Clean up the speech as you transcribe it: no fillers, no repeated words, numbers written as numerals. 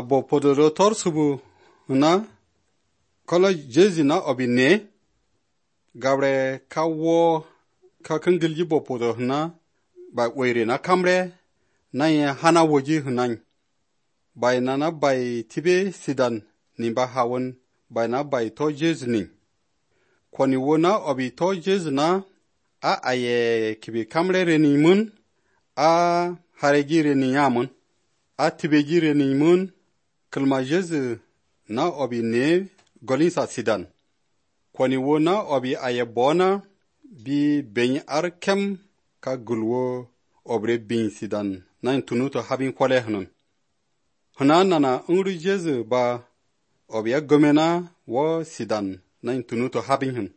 bo podoro tor subu na kola jezi na obine gabre kawo ka kengilji bo podo na ba were na kamre na ya hana woji hunan bai na bai tibe sidan nimba hawon bai na bai to jezi ni kwani wona obi to jezi na a aye kibi kamre reni mun a haregi reni yamun a tibe reni mun kalma jezi na obi ne golinsa sidan kwani wona obi aye bona bi ben arkem ka gulwo obre bin sidan nan tunuto habin kwale hanun hanana ungru jezi ba obi gomena wo sidan nan tunuto habin hun